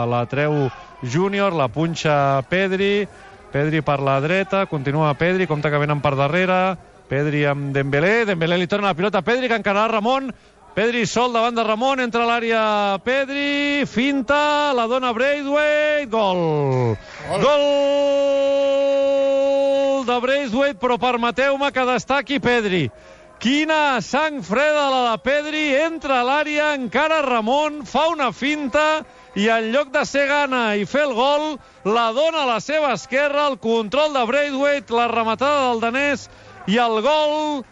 La treu Júnior, la punxa Pedri per la dreta, continua Pedri, compte que venen per darrere, Pedri amb Dembélé li torna la pilota a Pedri, que encararà Ramon, Pedri sol davant de Ramon, entra a l'àrea Pedri, finta, la dona Braithwaite, gol de Braithwaite, però permeteu-me que destaqui Pedri. Quina sang freda la de Pedri, entra a l'àrea, encara Ramon, fa una finta i en lloc de ser gana i fer el gol, la dona a la seva esquerra, el control de Braithwaite, la rematada del danès i el gol